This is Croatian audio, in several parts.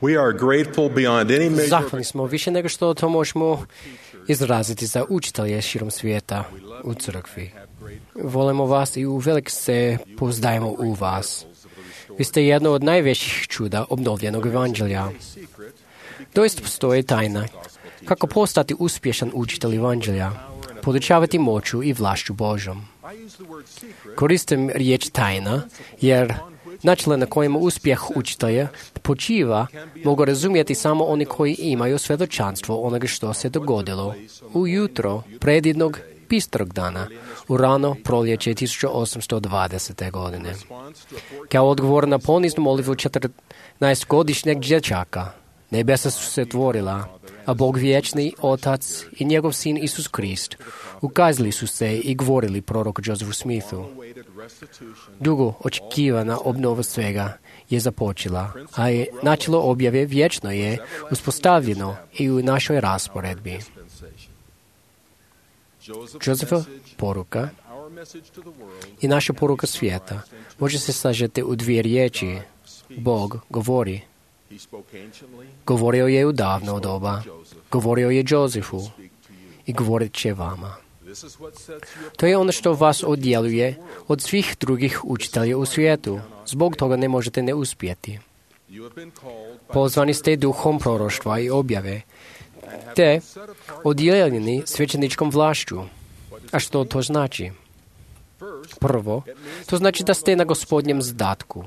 We are grateful beyond any measure. Zahvalni smo više nego što to možemo izraziti za učitelje širom svijeta u crkvi. Volimo vas i uvelik se pouzdajemo u vas. Vi ste jedno od najvećih čuda obnovljenog evanđelja. Doista postoji tajna kako postati uspješan učitelj evanđelja, podučavati moću i vlašću Božom. Koristim riječ tajna, jer načela na kojima uspjeh učitelja počiva mogu razumjeti samo oni koji imaju svjedočanstvo onoga što se dogodilo ujutro predjednog bistrog dana u rano proljeće 1820. godine. Kao odgovor na poniznu molitvu 14-godišnjeg dječaka, nebesa su se otvorila, a Bog vječni, Otac i njegov sin Isus Krist ukazali su se i govorili proroku Josephu Smithu. Dugo očekivana obnova svega je započela, a je načelo objave vječno je uspostavljeno i u našoj rasporedbi. Josepha poruka i naša poruka svijeta može se sažeti u dvije riječi. Bog govori. Govorio je u davno doba, govorio je Josefu i govorit će vama. To je ono što vas odjeluje od svih drugih učitelja u svijetu. Zbog toga ne možete ne uspjeti. Pozvani ste duhom proroštva i objave, te odjeljeni svećeničkom vlašću. A što to znači? Prvo, to znači da ste na Gospodnjem zadatku.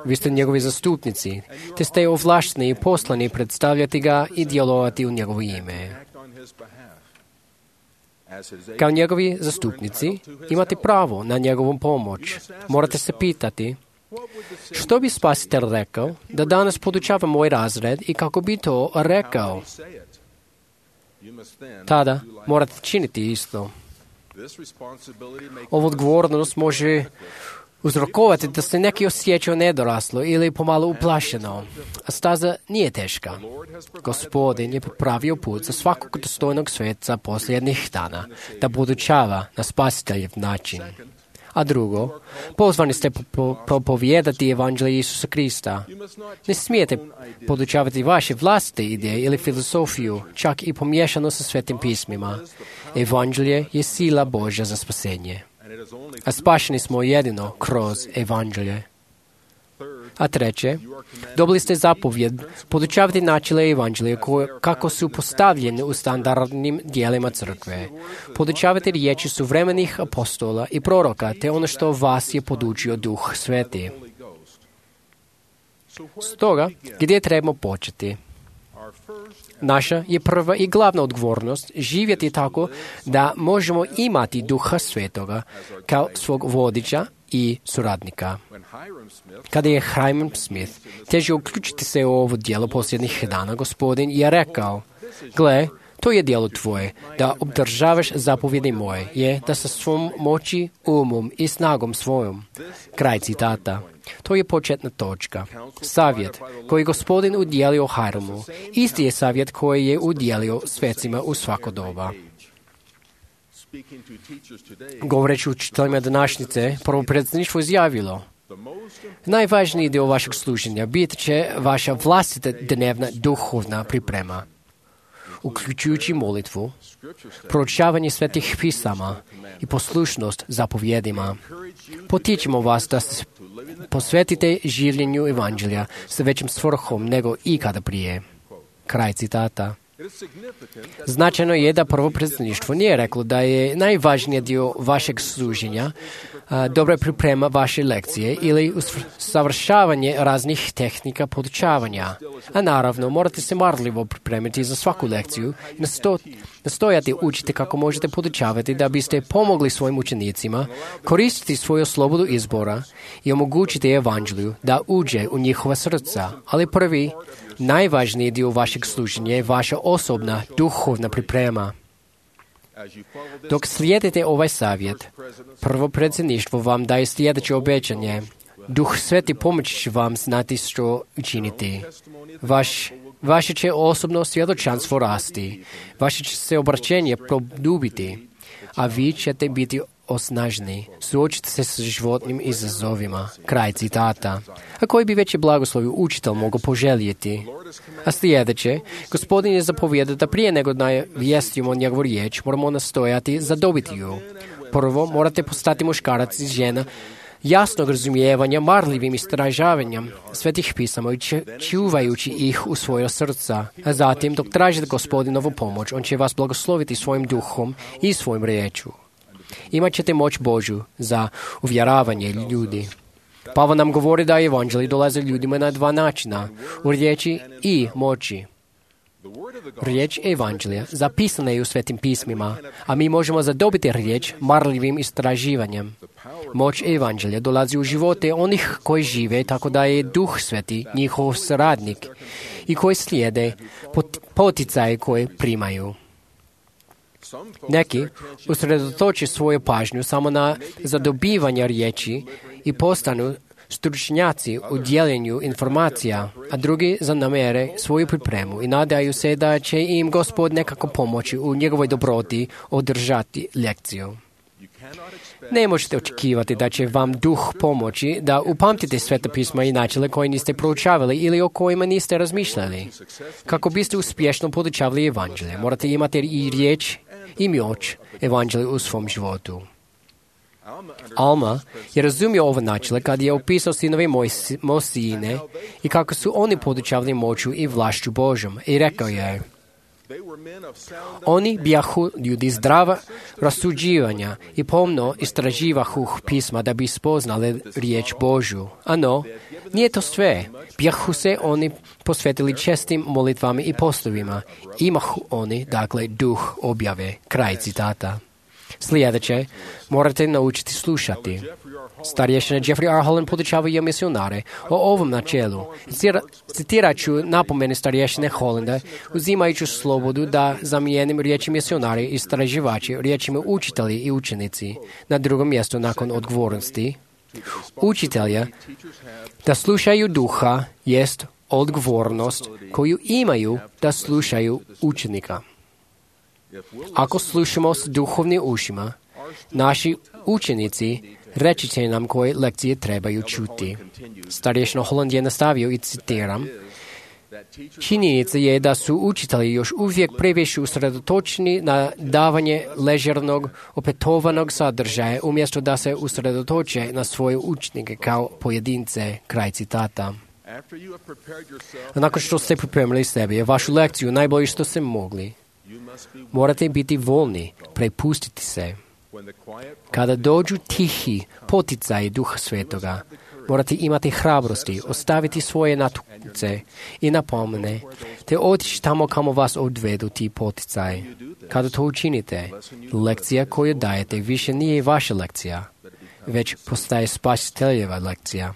Vi ste njegovi zastupnici, te ste ovlašteni i poslani predstavljati ga i djelovati u njegovo ime. Kao njegovi zastupnici imate pravo na njegovu pomoć. Morate se pitati, što bi Spasitelj rekao da danas podučava moj razred i kako bi to rekao? Tada morate činiti isto. Ovu odgovornost može uzrokovati da se neki osjećaju nedoraslo ili pomalo uplašeno. A staza nije teška. Gospodin je pripravio put za svakog dostojnog sveca posljednjih dana, da podučava na spasiteljev način. A drugo, pozvani ste propovijedati evanđelje Isusa Krista. Ne smijete podučavati vaše vlastite ideje ili filozofiju, čak i pomiješano sa svetim pismima. Evanđelje je sila Božja za spasenje. A spašeni smo jedino kroz evanđelje. A treće, dobili ste zapovjed podučavati načele evanđelja kako su postavljene u standardnim dijelima crkve. Podučavati riječi suvremenih apostola i proroka, te ono što vas je podučio Duh Sveti. Stoga, gdje trebamo početi? Naša je prva i glavna odgovornost živjeti tako da možemo imati Duha Svetoga kao svog vodiča i suradnika. Kada je Hiram Smith težio uključiti se u ovo djelo posljednjih dana, Gospodin je rekao, gle, to je djelo tvoje, da obdržavaš zapovjedi moje, je da sa svom moći, umom i snagom svojom. Kraj citata. To je početna točka. Savjet koji je Gospodin udjelio Hiramu, isti je savjet koji je udjelio svecima u svako doba. Govoreći učiteljima današnjice, prvopredsjedništvo izjavilo, najvažniji dio vašeg služenja bit će vaša vlastita dnevna duhovna priprema, uključujući molitvu, proučavanje svetih pisama i poslušnost zapovjedima. Potičemo vas da se posvetite življenju evanđelja sa većim svrhom nego ikada prije. Kraj citata. Značajno je da prvopredsjedništvo nije reklo da je najvažniji dio vašeg služenja dobra priprema vaše lekcije ili savršavanje raznih tehnika podučavanja. A naravno, morate se marljivo pripremiti za svaku lekciju i nastojati učiti kako možete podučavati da biste pomogli svojim učenicima koristiti svoju slobodu izbora i omogućiti evanđelju da uđe u njihova srca. Ali prvi, najvažniji dio vašeg služenja je vaša osobna duhovna priprema. Dok slijedite ovaj savjet, prvopredsjedništvo vam daje sljedeće obećanje. Duh Sveti pomoći će vam znati što učiniti. Vaše će osobno svjedočanstvo rasti. Vaše će se obraćenje produbiti, a vi ćete biti osnaženi. Suočite se s životnim izazovima. Kraj citata. A koji bi veći blagoslovi učitelj mogao poželjeti? A sljedeće, Gospodin je zapovjedao da prije nego navijestimo njegovu riječ, moramo nastojati zadobiti ju. Prvo, morate postati muškarac i žena jasnog razumijevanja, marljivim istražavanjem svetih pisama i čuvajući ih u svoja srca. A zatim, dok tražite Gospodinovu pomoć, on će vas blagosloviti svojim duhom i svojim riječu. Imat ćete moć Božju za uvjeravanje ljudi. Pavao nam govori da evanđelji dolaze ljudima na dva načina, u riječi i moći. Riječ evanđelja zapisana je u svetim pismima, a mi možemo zadobiti riječ marljivim istraživanjem. Moć evanđelja dolazi u živote onih koji žive tako da je Duh Sveti njihov saradnik i koji slijede poticaje koje primaju. Neki usredotoče svoju pažnju samo na zadobivanje riječi i postanu stručnjaci u dijeljenju informacija, a drugi zanamere svoju pripremu i nadaju se da će im Gospod nekako pomoći u njegovoj dobroti održati lekciju. Ne možete očekivati da će vam Duh pomoći da upamtite sveta pisma i načele koje niste proučavali ili o kojima niste razmišljali. Kako biste uspješno podučavali evanđelje, morate imati i riječ i moć evanđelja u svom životu. Alma je razumio ovo načelo kad je opisao sinove Mosijine i kako su oni podučavali moću i vlašću Božjom i rekao je: oni bijahu ljudi zdrava rasuđivanja i pomno istraživahu pisma da bi spoznali riječ Božju. Ano, nije to sve. Bijahu se oni posvetili čestim molitvama i postovima. Imahu oni, dakle, duh objave. Kraj citata. Sljedeće, morate naučiti slušati. Starješina Jeffrey R. Holland podučavaju misionare o ovom načelu. Citirat ću napomene starješine Hollanda, uzimajući slobodu da zamijenim riječi misionari i istraživači riječima učitelji i učenici. Na drugom mjestu nakon odgovornosti učitelja da slušaju duha jest odgovornost koju imaju da slušaju učenika. Ako slušamo s duhovnim ušima, naši učenici reći će nam koje lekcije trebaju čuti. Starješina Holland je nastavio i citiram: činjenica je da su učitelji još uvijek previše usredotočeni na davanje ležernog, opetovanog sadržaja, umjesto da se usredotoče na svoje učenike kao pojedince. Kraj citata. A nakon što ste pripremili sebe, vašu lekciju najbolje što ste mogli, morate biti voljni prepustiti se. Kada dođu tihi poticaji Duha Svetoga, morate imati hrabrosti, ostaviti svoje natuce i napomene, te otići tamo kamo vas odvedu ti poticaji. Kada to učinite, lekcija koju dajete više nije vaša lekcija, već postaje spasiteljeva lekcija.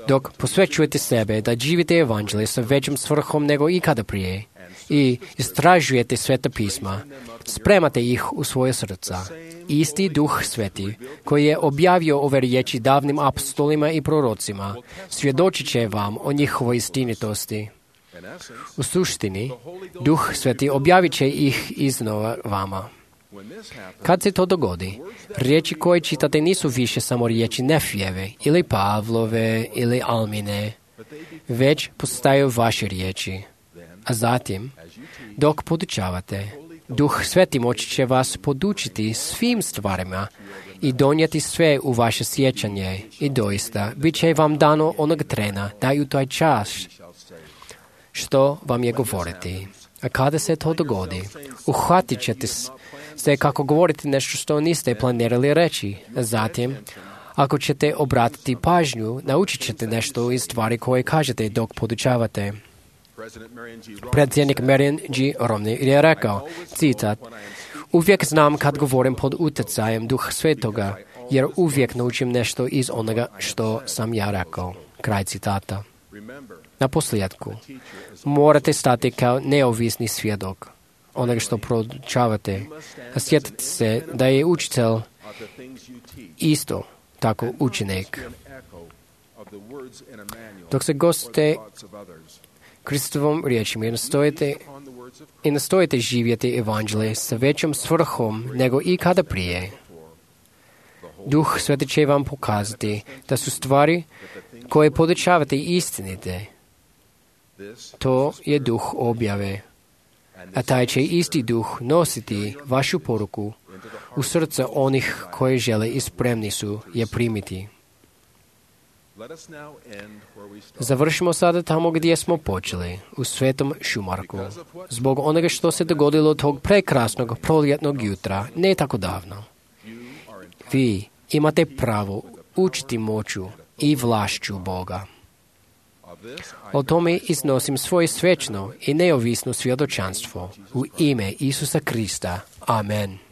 Dok posvećujete sebe da živite evanđelje sa većom svrhom nego ikada prije i istražujete sveta pisma, spremate ih u svoje srca. Isti Duh Sveti, koji je objavio ove riječi davnim apostolima i prorocima, svjedočit će vam o njihovoj istinitosti. U suštini, Duh Sveti objavit će ih iznova vama. Kad se to dogodi, riječi koje čitate nisu više samo riječi Nefijeve ili Pavlove ili Almine, već postaju vaše riječi. A zatim, dok podučavate, Duh Sveti moći će vas podučiti svim stvarima i donijeti sve u vaše sjećanje i doista bit će vam dano onog trena da u taj čas što vam je govoriti. A kada se to dogodi, uhvatit ćete se kako govoriti nešto što niste planirali reći. A zatim, ako ćete obratiti pažnju, naučit ćete nešto iz stvari koje kažete dok podučavate. Predsjednik Marion G. Romney je rekao, citat: uvijek znam kad govorim pod utjecajem Duha Svetoga, jer uvijek naučim nešto iz onoga što sam ja rekao. Kraj citata. Na posljedku, morate stati kao neovisni svjedok onoga što proučavate, a sjetite se da je učitelj isto tako učenik. Dok se goste Христоvom riječima i nastojite živjeti evanđelje sa većom svrhom nego ikada prije. Duh Sveti će vam pokazati da su stvari koje podučavate istinite. To je duh objave. A taj će isti duh nositi vašu poruku u srca onih koji žele i spremni su je primiti. Završimo sada tamo gdje smo počeli, u Svetom Šumarku. Zbog onoga što se dogodilo tog prekrasnog proljetnog jutra, ne tako davno. Vi imate pravo učiti moću i vlašću Boga. O tome iznosim svoje svečno i neovisno svjedočanstvo u ime Isusa Krista. Amen.